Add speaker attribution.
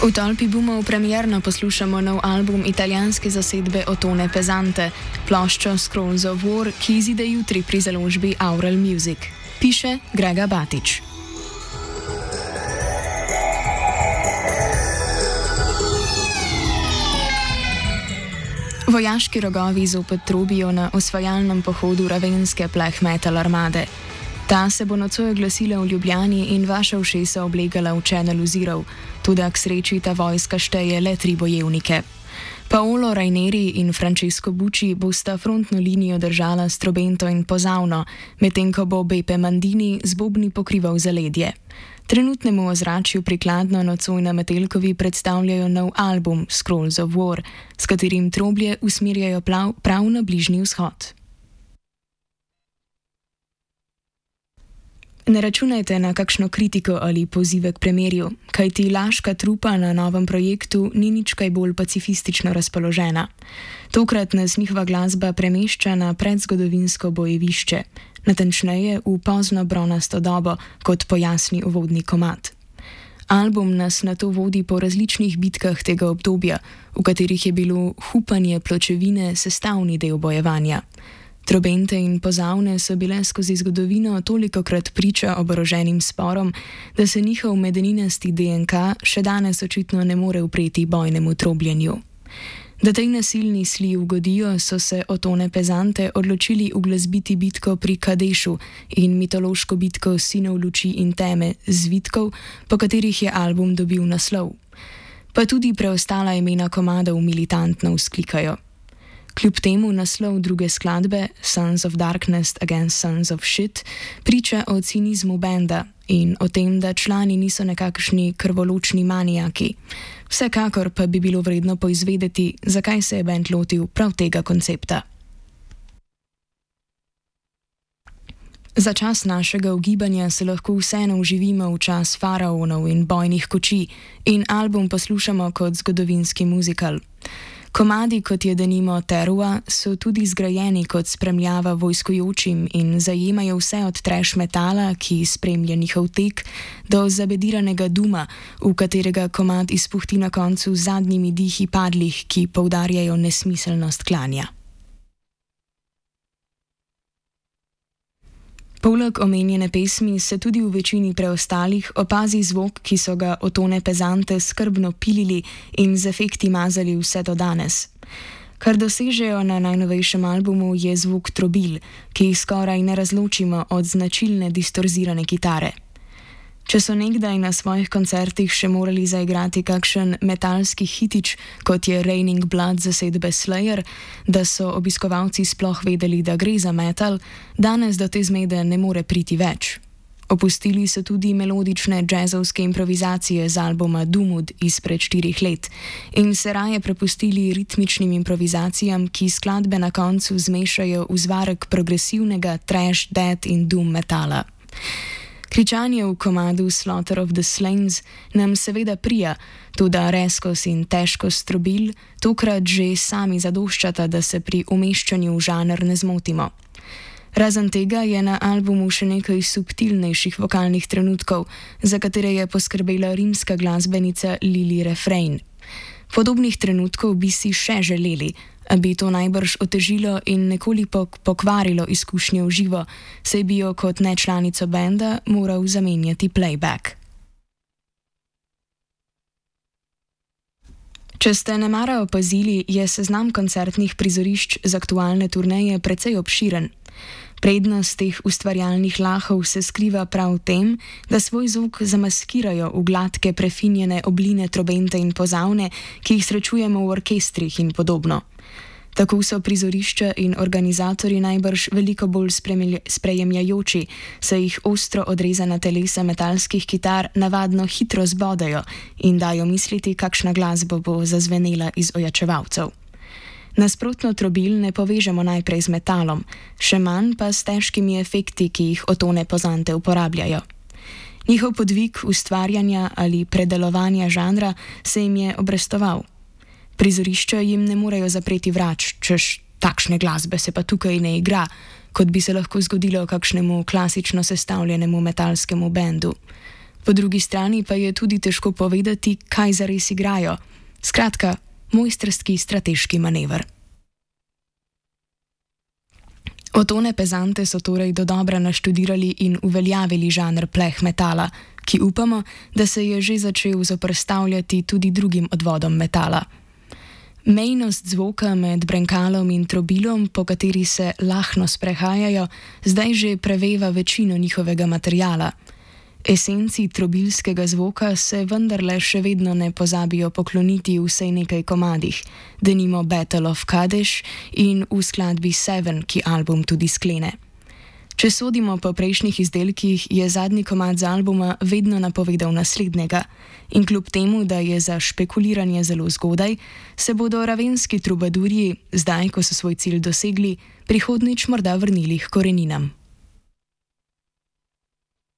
Speaker 1: V tolpi boomov premierno poslušamo nov album italijanske zasedbe Ottone Pezzente, ploščo Scrolls of War, ki izide jutri pri založbi Aural Music. Piše Grega Batič. Vojaški rogovi zopet trobijo na osvajalnem pohodu ravenske black metal armade. Ta se bo nocoj oglasila v Ljubljani in vaša ušesa oblegala v Channel Zero, tudi k sreči ta vojska šteje le 3 bojevnike. Paolo Raineri in Francesco Bucci bosta frontno linijo držala s trobento in pozavno, medtem ko bo Beppe Mandini z bobni pokrival zaledje. Trenutnemu ozračju prikladno nocoj na Metelkovi predstavljajo nov album Scrolls of War, s katerim troblje usmerjajo prav na Bližnji vzhod. Ne računajte na kakšno kritiko ali pozive k premirju, kajti Laška trupa na novem projektu ni nič kaj bolj pacifistično razpoložena. Tokrat nas njihova glasba premešča na predzgodovinsko bojevišče, natančneje v pozno bronasto dobo, kot pojasni uvodni komad. Album nas nato vodi po različnih bitkah tega obdobja, v katerih je bilo hupanje pločevine sestavni del bojevanja. Trobente in pozavne so bile skozi zgodovino tolikokrat priča oboroženim sporom, da se njihov medeninasti DNK še danes očitno ne more upreti bojnemu trobljenju. Da tej nasilni sli ugodijo, so se Ottone Pezzente odločili uglasbiti bitko pri Kadešu in mitološko bitko Sinov luči in teme Zvitkov, po katerih je album dobil naslov. Pa tudi preostala imena komadov militantno vzklikajo. Kljub temu naslov druge skladbe, Sons of Darkness Against Sons of Shit, priča o cinizmu benda in o tem, da člani niso nekakšni krvoločni manijaki. Vsekakor pa bi bilo vredno poizvedeti, zakaj se je bend lotil prav tega koncepta. Za čas našega ugibanja se lahko vseeno uživimo v čas faraonov in bojnih kočij in album poslušamo kot zgodovinski muzikal. Komadi, kot je denimo Terua, so tudi zgrajeni kot spremljava vojskujočim in zajemajo vse od trash metala, ki spremlja njihov tek, do zabediranega duma, v katerega komad izpuhti na koncu z zadnjimi dihi padlih, ki poudarjajo nesmiselnost klanja. Poleg omenjene pesmi se tudi v večini preostalih opazi zvok, ki so ga Ottone Pezzente skrbno pilili in z efekti mazali vse do danes. Kar dosežejo na najnovejšem albumu je zvok trobil, ki jih skoraj ne razločimo od značilne distorzirane kitare. Če so nekdaj na svojih koncertih še morali zaigrati kakšen metalski hitič, kot je Raining Blood zasedbe Slayer, da so obiskovalci sploh vedeli, da gre za metal, danes do te zmede ne more priti več. Opustili so tudi melodične džezovske improvizacije z albuma Dumud izpred 4 let in se raje prepustili ritmičnim improvizacijam, ki skladbe na koncu zmešajo v zvarek progresivnega trash, death in doom metala. Kričanje v komadu Slaughter of the Slains nam seveda prija, tudi rezkost in težkost trobil tokrat že sami zadoščata, da se pri umeščanju v žanr ne zmotimo. Razen tega je na albumu še nekaj subtilnejših vokalnih trenutkov, za katere je poskrbela rimska glasbenica Lili Refrain. Podobnih trenutkov bi si še želeli, a bi to najbrž otežilo in nekoliko pokvarilo izkušnjo v živo, saj bi jo kot nečlanico benda moral zamenjati playback. Če ste nemara opazili, je seznam koncertnih prizorišč z aktualne turneje precej obširen. Prednost teh ustvarjalnih lahov se skriva prav v tem, da svoj zvok zamaskirajo v gladke prefinjene obline trobente in pozavne, ki jih srečujemo v orkestrih in podobno. Tako so prizorišča in organizatorji najbrž veliko bolj sprejemljajoči, saj jih ostro odrezana telesa metalskih kitar navadno hitro zbodajo in dajo misliti, kakšna glasba bo zazvenela iz ojačevalcev. Nasprotno trobil ne povežemo najprej z metalom, še manj pa s težkimi efekti, ki jih Ottone Pezzente uporabljajo. Njihov podvig ustvarjanja ali predelovanja žanra se jim je obrestoval. Prizorišča jim ne morejo zapreti vrač, češ takšne glasbe se pa tukaj ne igra, kot bi se lahko zgodilo kakšnemu klasično sestavljenemu metalskemu bendu. Po drugi strani pa je tudi težko povedati, kaj zares igrajo. Skratka, mojstrski strateški manever. Otone Pezante so torej dodobra naštudirali in uveljavili žanr pleh metala, ki upamo, da se je že začel zoperstavljati tudi drugim odvodom metala. Mejnost zvoka med brenkalom in trobilom, po kateri se lahno sprehajajo, zdaj že preveva večino njihovega materiala. Esenci trobilskega zvoka se vendarle še vedno ne pozabijo pokloniti vsej nekaj komadih, denimo Battle of Kadesh in v skladbi Seven, ki album tudi sklene. Če sodimo po prejšnjih izdelkih, je zadnji komad z albuma vedno napovedal naslednjega in kljub temu, da je za špekuliranje zelo zgodaj, se bodo ravenski trubadurji, zdaj ko so svoj cilj dosegli, prihodnjič morda vrnili k koreninam.